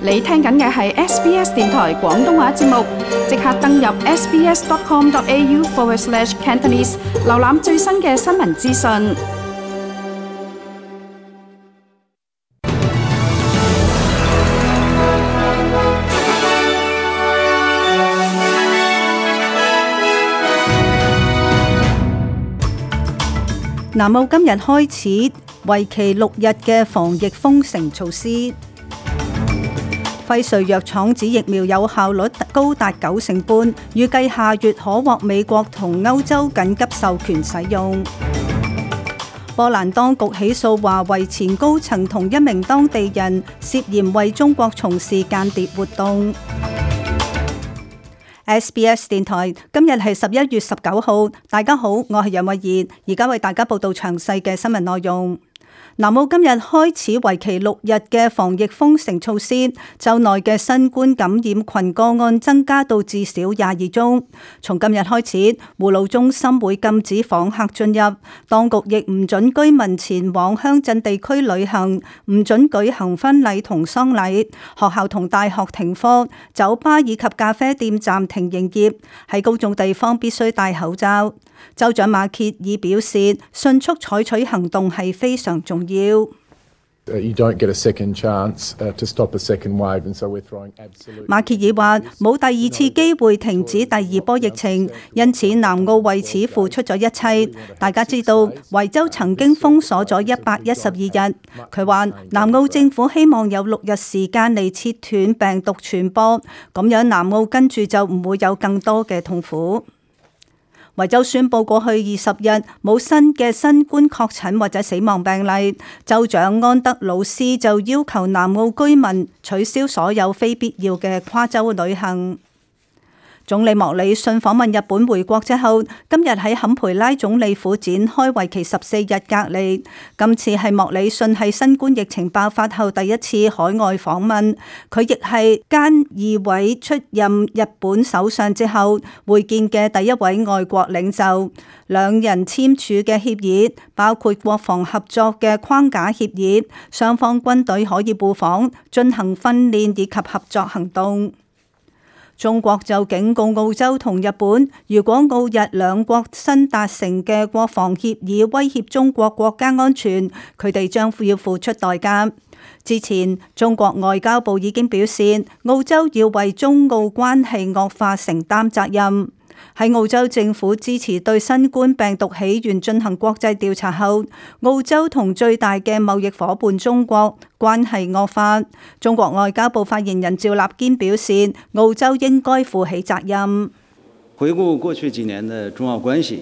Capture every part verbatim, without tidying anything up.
你聽緊嘅係 S B S 電台廣東話節目，即刻登入 sbs.com.au forward slash Cantonese， 瀏覽最新嘅新聞資訊。南澳今日開始為期六日嘅防疫封城措施。輝瑞藥廠指疫苗有效率高達九成半，預計下月可獲美國同歐洲緊急授權使用。波蘭當局起訴華為前高層同一名當地人涉嫌為中國從事間諜活動。S B S 電台今日係十一月十九號，大家好，我係楊慧儀，而家為大家報道詳細嘅新聞內容。南澳今日開始為期六日嘅防疫封城措施，州內嘅新冠感染群個案增加到至少廿二宗。從今日開始，護老中心會禁止訪客進入，當局亦唔准居民前往鄉鎮地區旅行，唔准舉行婚禮同喪禮，學校同大學停課，酒吧以及咖啡店暫停營業，喺公眾地方必須戴口罩。州長馬歇爾表示，迅速採取行動係非常重要。馬歇爾話：冇第二次機會停止第二波疫情，因此南澳為此付出咗一切。大家知道，維州曾經封鎖咗一百一十二日。佢話南澳政府希望有六日時間嚟切斷病毒傳播，咁樣南澳跟住就唔會有更多嘅痛苦。維州宣布過去二十日冇新嘅新冠確診或者死亡病例，州長安德魯斯就要求南澳居民取消所有非必要嘅跨州旅行。總理莫里遜訪問日本回國之後，今日喺坎培拉總理府展開為期十四日隔離。今次係莫里遜喺新冠疫情爆發後第一次海外訪問，佢亦係菅義偉出任日本首相之後會見嘅第一位外國領袖。兩人簽署嘅協議包括國防合作嘅框架協議，雙方軍隊可以互訪、進行訓練以及合作行動。中國就警告澳洲同日本，如果澳日兩國新達成嘅國防協議威脅中國國家安全，佢哋將要付出代價。之前，中國外交部已經表示，澳洲要為中澳關係惡化承擔責任。喺澳洲政府支持對新冠病毒起源進行國際調查後，澳洲同最大嘅貿易夥伴中國關係惡化。中國外交部發言人趙立堅表示，澳洲應該負起責任。回顧過去幾年的中澳關係，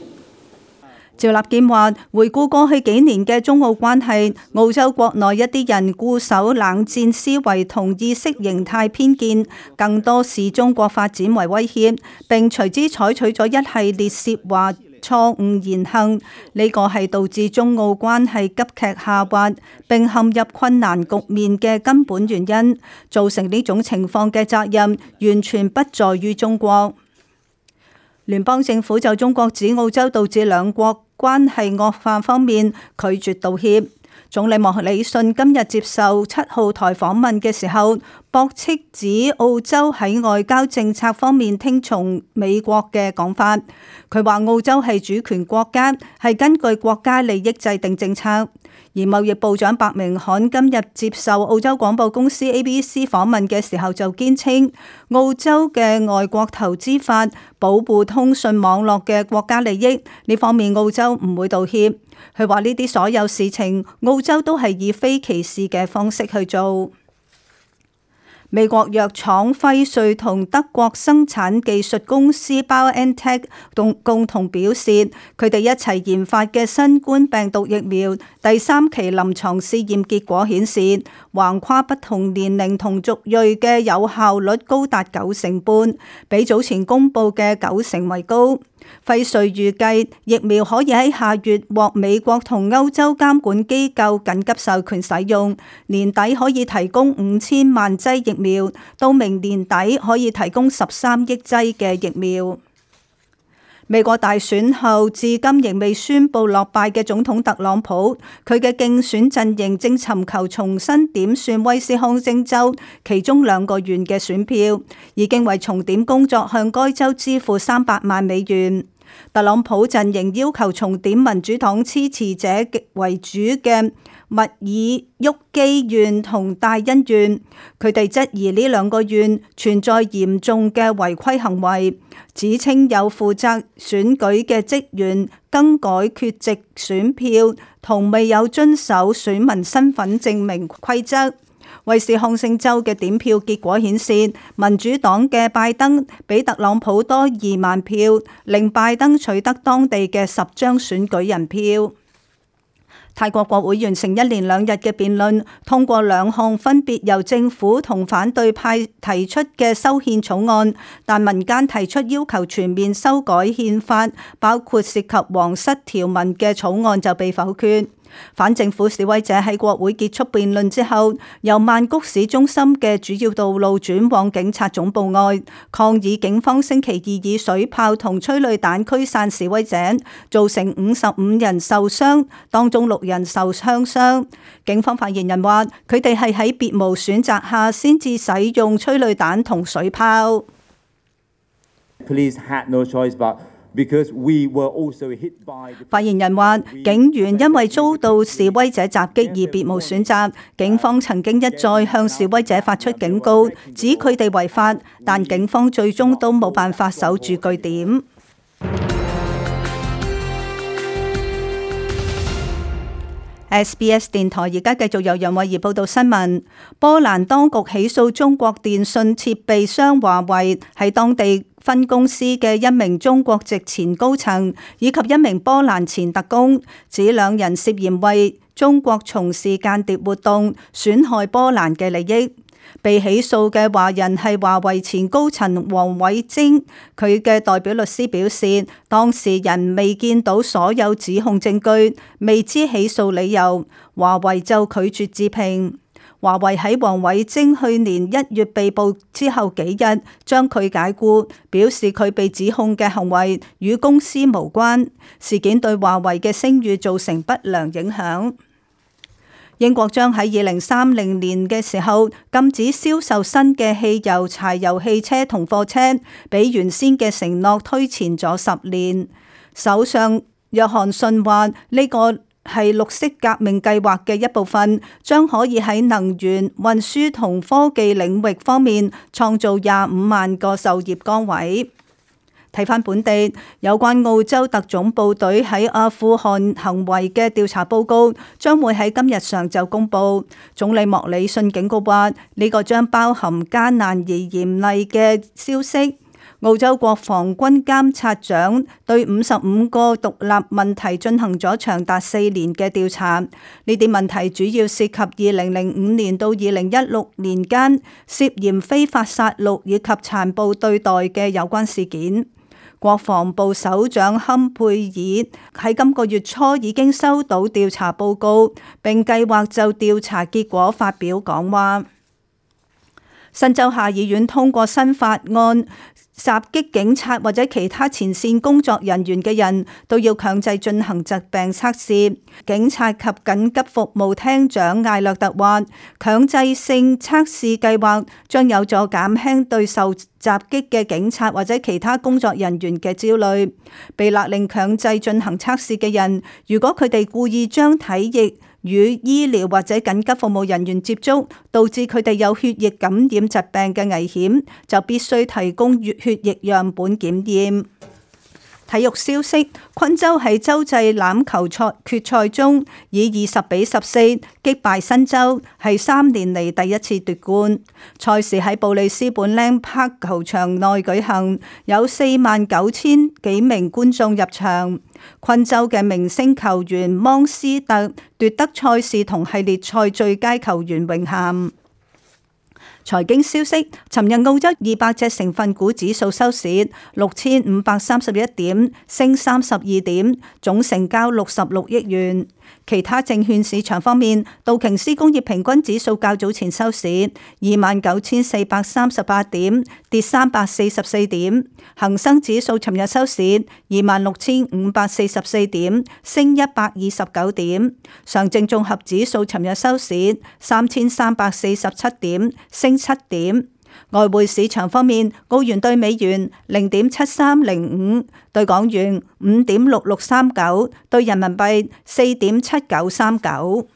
趙立堅話：回顧過去幾年嘅中澳關係，澳洲國內一啲人固守冷戰思維同意識形態偏見，更多視中國發展為威脅，並隨之採取咗一系列涉華錯誤言行。呢個係導致中澳關係急劇下滑並陷入困難局面嘅根本原因。造成呢種情況嘅責任完全不在於中國。聯邦政府就中國指澳洲導致兩國關係惡化方面拒絕道歉。總理莫里遜今日接受七號台訪問嘅時候，駁斥指澳洲喺外交政策方面聽從美國嘅講法。佢話澳洲係主權國家，係根據國家利益制定政策。而貿易部長白明罕今日接受澳洲廣播公司 A B C 訪問嘅時候就堅稱，澳洲嘅外國投資法保護通訊網絡嘅國家利益，呢方面澳洲唔會道歉。佢話呢啲所有事情，澳洲都係以非歧視嘅方式去做。美國藥廠輝瑞同德國生產技術公司 BioNTech 共共同表示，佢哋一齊研發嘅新冠病毒疫苗第三期臨床試驗結果顯示，橫跨不同年齡同族裔嘅有效率高達九成半，比早前公布嘅九成為高。輝瑞預計疫苗可以喺下月獲美國同歐洲監管機構緊急授權使用，年底可以提供五千萬劑疫苗，到明年底可以提供十三億劑嘅疫苗。美國大選後至今仍未宣布落敗嘅總統特朗普，佢嘅競選陣營正尋求重新點算威斯康星州其中兩個縣嘅選票，已經為重點工作向該州支付三百萬美元。特朗普陣營要求重點民主黨支持者為主嘅密爾沃基縣同戴恩縣，佢哋質疑呢兩個縣存在嚴重嘅違規行為，指稱有負責選舉嘅職員更改缺席選票同未有遵守選民身份證明規則。威斯康星州嘅點票結果顯示，民主黨嘅拜登比特朗普多二萬票，令拜登取得當地嘅十張選舉人票。泰國國會完成一連兩日嘅辯論，通過兩項分別由政府同反對派提出嘅修憲草案，但民間提出要求全面修改憲法，包括涉及皇室條文嘅草案就被否決。反政府示威者喺國會結束辯論之後，由曼谷市中心嘅主要道路轉往警察總部外，抗議警方星期二以水炮同催淚彈驅散示威者，造成五十五人受傷，當中六人受槍傷。警方發言人話，佢哋係喺別無選擇下先至使用催淚彈同水炮。Police had no choice but Because we were also hit by the... 發言人話，警員因為遭到示威者襲擊而別無選擇。警方曾經一再向示威者發出警告，指佢哋違法，但警方最終都冇辦法守住據點。S B S 電台而家繼續由楊慧儀報道新聞。波蘭當局起訴中國電信設備商華為喺當地分公司嘅一名中國籍前高層以及一名波蘭前特工，指兩人涉嫌為中國從事間諜活動，損害波蘭嘅利益。被起訴嘅華人係華為前高層王偉晶，佢嘅代表律師表示，當事人未見到所有指控證據，未知起訴理由，華為就拒絕置評。華為喺王偉晶去年一月被捕之後幾日將佢解僱，表示佢被指控嘅行為與公司無關。事件對華為嘅聲譽造成不良影響。英國將喺二零三零年嘅時候禁止銷售新嘅汽油、柴油汽車同貨車，比原先嘅承諾推前咗十年。首相約翰遜話呢個係綠色革命計劃嘅一部分，將可以喺能源、運輸同科技領域方面創造廿五萬個就業崗位。睇返本地有關澳洲特種部隊喺阿富汗行為嘅調查報告，將會喺今日上晝公佈。總理莫里遜警告話，呢個將包含艱難而嚴厲嘅消息。澳洲國防軍監察長對五十五個獨立問題進行咗長達四年嘅調查，呢啲問題主要涉及二零零五年到二零一六年間涉嫌非法殺戮以及殘暴對待嘅有關事件。國防部首長坎佩爾喺今個月初已經收到調查報告，並計劃就調查結果發表講話。新州下議院通過新法案，襲擊警察或者其他前線工作人員嘅人都要強制進行疾病測試。警察及緊急服務廳長艾略特話，強制性測試計劃將有助減輕對受襲擊嘅警察或者其他工作人員嘅焦慮。被勒令強制進行測試嘅人，如果佢哋故意將體液與醫療或者緊急服務人員接觸，導致佢哋有血液感染疾病嘅危險，就必須提供血血液樣本檢驗。體育消息，昆州喺洲際欖球賽決賽中以二十比十四擊敗新州，係三年嚟第一次奪冠。賽事喺布里斯本靚柏球場內舉行，有四萬九千幾名觀眾入場。昆州嘅明星球員芒斯特奪得賽事同系列賽最佳球員榮銜。財經消息，尋日澳洲二百隻成分股指數收市六千五百三十一點，升三十二點，總成交六十六億元。其他證券市場方面，道瓊斯工業平均指數較早前收市二萬九千四百三十八點，跌三百四十四點；恒生指數尋日收市二萬六千五百四十四點，升一百二十九點；上證綜合指數尋日收市三千三百四十七點，升七點。外匯市場方面，澳元兌美元零點七三零五，兌港元五點六六三九，兌人民幣四點七九三九。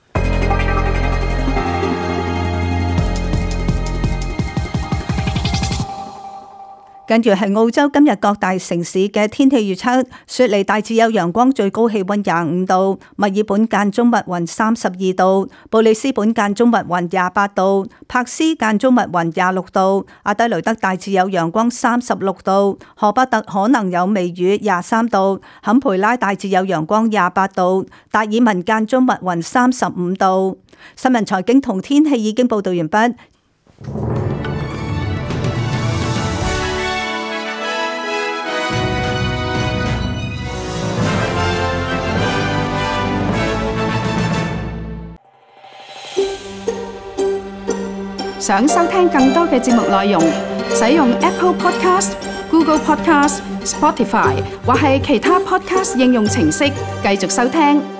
跟住係澳洲今日各大城市嘅天氣預測：雪梨大致有陽光，最高氣溫廿五度；墨爾本間中密雲三十二度；布里斯本間中密雲廿八度；柏斯間中密雲廿六度；阿德雷德大致有陽光三十六度；荷伯特可能有微雨廿三度；坎培拉大致有陽光廿八度；達爾文間中密雲三十五度。新聞財經同天氣已經報道完畢。想收聽更多嘅節目內容，使用 Apple Podcast、Google Podcast、Spotify 或係其他 Podcast 應用程式繼續收聽。